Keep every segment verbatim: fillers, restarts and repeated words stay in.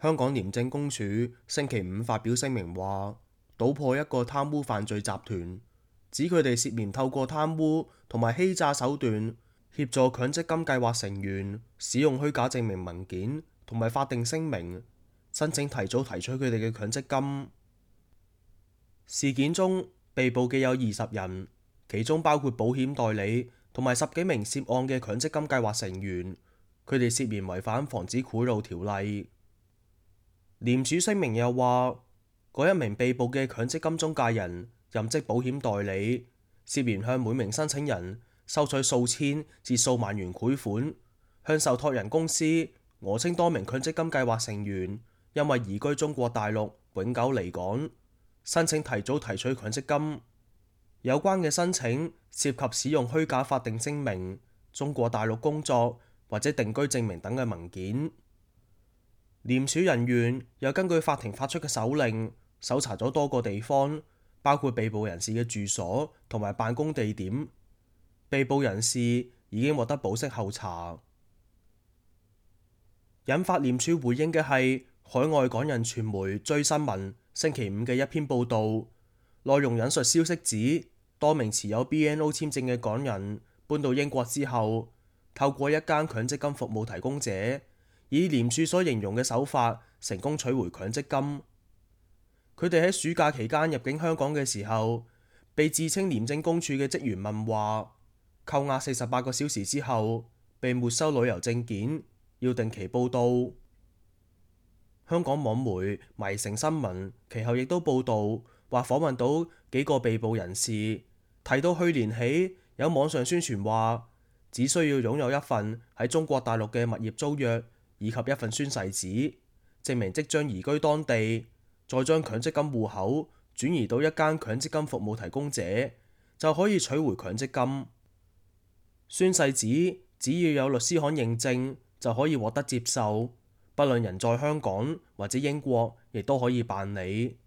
香港廉政公署星期五發表聲明話，搗破一個貪污犯罪集團，指佢哋涉嫌透過貪污同埋欺詐手段，協助強積金計劃成員使用虛假證明文件同埋法定聲明，申請提早提取佢哋嘅強積金。事件中被捕嘅有二十人，其中包括保險代理同埋十幾名涉案嘅強積金計劃成員，佢哋涉嫌違反防止賄賂條例。廉署聲明又話，嗰一名被捕嘅強積金中介人任職保險代理，涉嫌向每名申請人收取數千至數萬元賄款，向受託人公司訛稱多名強積金計劃成員因為移居中國大陸永久離港，申請提早提取強積金。有關嘅申請涉及使用虛假法定聲明、中國大陸工作或者定居證明等嘅文件。廉署人員又根據法庭發出嘅手令，搜查咗多個地方，包括被捕人士嘅住所同埋辦公地點。被捕人士已經獲得保釋候查。引發廉署回應嘅係海外港人傳媒追新聞星期五嘅一篇報導，內容引述消息指，多名持有 B N O 簽證嘅港人搬到英國之後，透過一間強積金服務提供者，以廉署所形容嘅手法成功取回強積金。佢哋喺暑假期間入境香港嘅時候，被自稱廉政公署嘅職員問話，扣押四十八個小時之後，被沒收旅遊證件，要定期報到。香港網媒迷城新聞其後亦都報導話，訪問到幾個被捕人士，提到去年起有網上宣傳話，只需要擁有一份喺中國大陸嘅物業租約，以及一份宣誓紙，證明即將移居當地，再將強積金戶口轉移到一間強積金服務提供者，就可以取回強積金。宣誓紙只要有律師函認證，就可以獲得接受，不論人在香港或者英國，亦都可以辦理。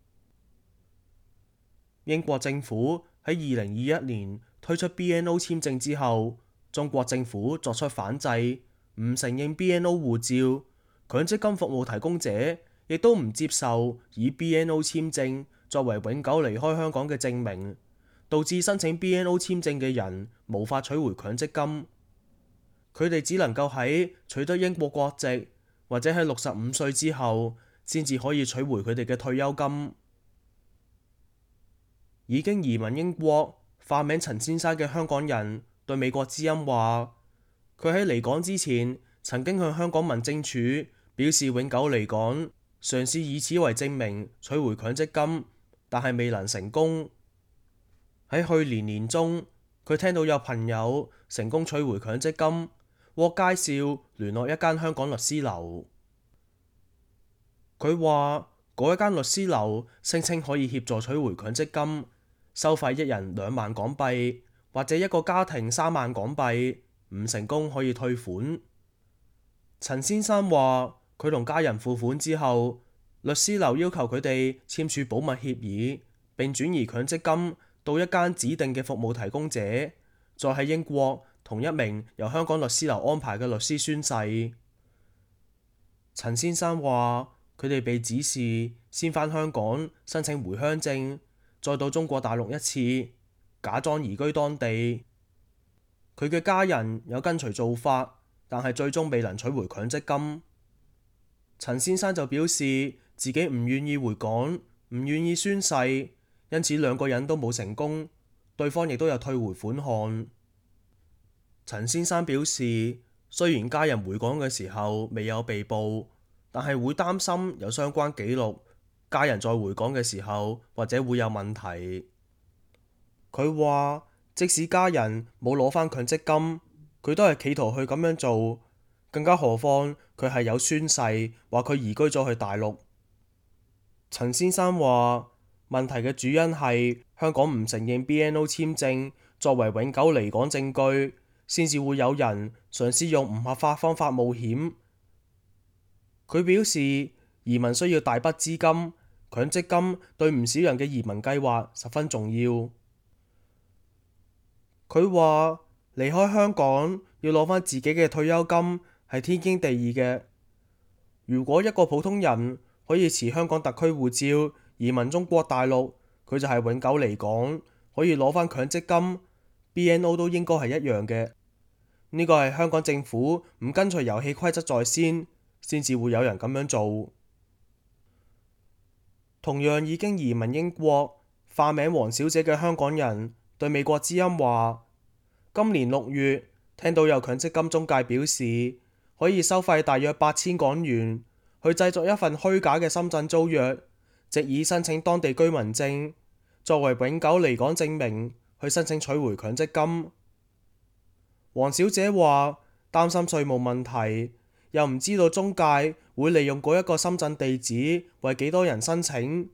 英國政府喺二零二一年推出 B N O 簽證之後，中國政府作出反制，唔承認 B N O 護照，強積金服務提供者亦都唔接受以 B N O 簽證作為永久離開香港嘅證明，導致申請 B N O 簽證嘅人無法取回強積金。佢哋只能夠喺取得英國國籍或者喺六十五歲之後，先至可以取回佢哋嘅退休金。已經移民英國、化名陳先生嘅香港人對美國之音話，佢喺離港之前曾經向香港民政處表示永久離港，嘗試以此為證明取回強積金，但係未能成功。喺去年年中，佢聽到有朋友成功取回強積金，獲介紹聯絡一間香港律師樓。佢話嗰一間律師樓聲稱可以協助取回強積金，收費一人兩萬港幣，或者一個家庭三萬港幣，唔成功可以退款。陳先生話佢同家人付款之後，律師樓要求佢哋簽署保密協議，並轉移強積金到一間指定嘅服務提供者，再喺英國同一名由香港律師樓安排嘅律師宣誓。陳先生話佢哋被指示先返香港申請回鄉證，再到中國大陸一次，假裝移居當地。佢嘅家人有跟隨做法，但係最終未能取回強積金。陳先生就表示自己唔願意回港，唔願意宣誓，因此兩個人都冇成功，對方亦都有退回款項。陳先生表示，雖然家人回港嘅時候未有被捕，但係會擔心有相關記錄，家人再回港嘅時候或者會有問題。佢話即使家人冇攞返強積金，佢都係企圖去咁樣做，更加何況佢係有宣誓話佢移居咗去大陸。陳先生話問題嘅主因係香港唔承認 B N O 簽證作為永久離港證據，先至會有人嘗試用唔合法方法冒險。佢表示移民需要大筆資金，強積金對唔少人嘅移民計劃十分重要。佢話離開香港要攞返自己嘅退休金係天經地義嘅，如果一個普通人可以持香港特區護照移民中國大陸，佢就係永久離港，可以攞返強積金。B N O 都應該係一樣嘅。呢個係香港政府唔跟隨遊戲規則在先，先至會有人咁樣做。同樣已經移民英國，化名黃小姐嘅香港人對美國之音話：今年六月聽到有強積金中介表示可以收費大約八千港元去製作一份虛假嘅深圳租約，藉以申請當地居民證作為永久離港證明，去申請取回強積金。黃小姐話擔心稅務問題，又唔知道中介會利用嗰一個深圳地址為幾多人申請，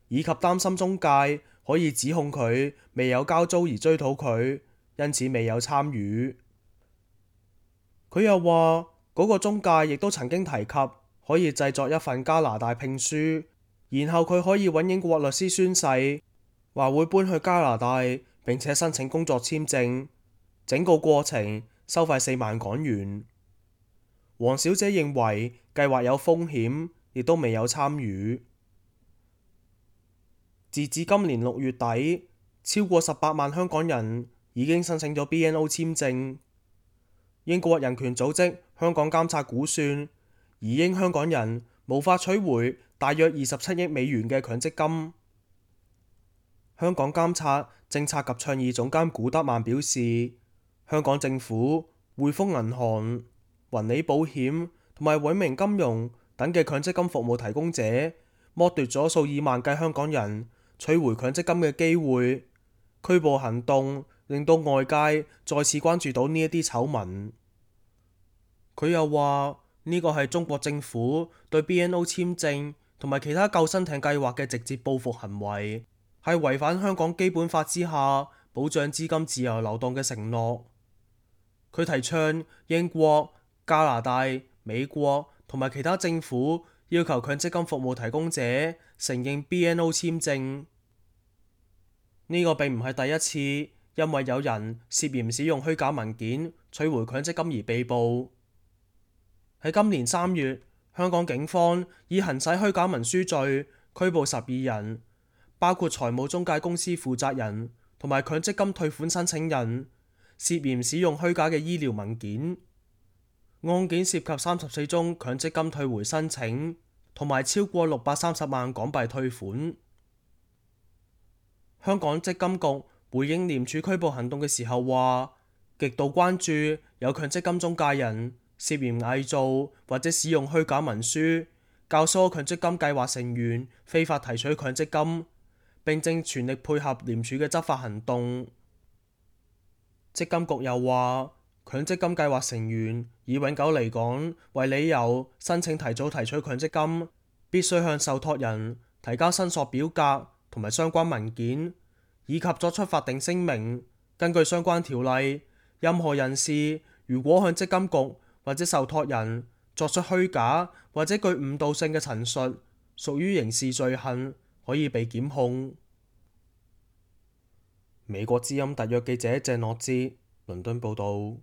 以及擔心中介可以指控佢未有交租而追討佢，因此未有參與。佢又話嗰個中介亦都曾經提及可以製作一份加拿大聘書，然後佢可以揾英國律師宣誓，話會搬去加拿大並且申請工作簽證，整個過程收費四萬港元。黃小姐認為計劃有風險，亦都未有參與。截至今年六月底，超過十八萬香港人已經申請咗 B N O 簽證。英國人權組織香港監察估算，移英香港人無法取回大約二十七億美元嘅強積金。香港監察政策及倡議總監古德曼表示，香港政府、匯豐銀行、雲理保險同埋永明金融等嘅強積金服務提供者，剝奪咗數以萬計香港人取回強積金嘅機會。拘捕行動令到外界再次關注到呢一啲醜聞。佢又話呢個係中國政府對 B N O 簽證同埋其他救生艇計劃嘅直接報復行為，係違反香港基本法之下保障資金自由流動嘅承諾。佢提倡英國、加拿大、美國同埋其他政府要求強積金服務提供者承認 B N O 簽證。呢個並唔係第一次因為有人涉嫌使用虛假文件取回強積金而被捕。喺今年三月，香港警方以行使虛假文書罪拘捕十二人，包括財務中介公司負責人同埋強積金退款申請人，涉嫌使用虛假嘅醫療文件。案件涉及三十四宗強積金退回申請，同埋超過六百三十萬港幣退款。香港積金局回應廉署拘捕行動嘅時候話，極度關注有強積金中介人涉嫌偽造或者使用虛假文書，教唆強積金計劃成員非法提取強積金，並正全力配合廉署嘅執法行動。積金局又話，強積金計劃成員以永久離港為理由申請提早提取強積金，必須向受託人提交申索表格同埋相關文件，以及作出法定聲明。根據相關條例，任何人士如果向積金局或者受託人作出虛假或者具誤導性嘅陳述，屬於刑事罪行，可以被檢控。美國之音特約記者鄭諾哲倫敦報道。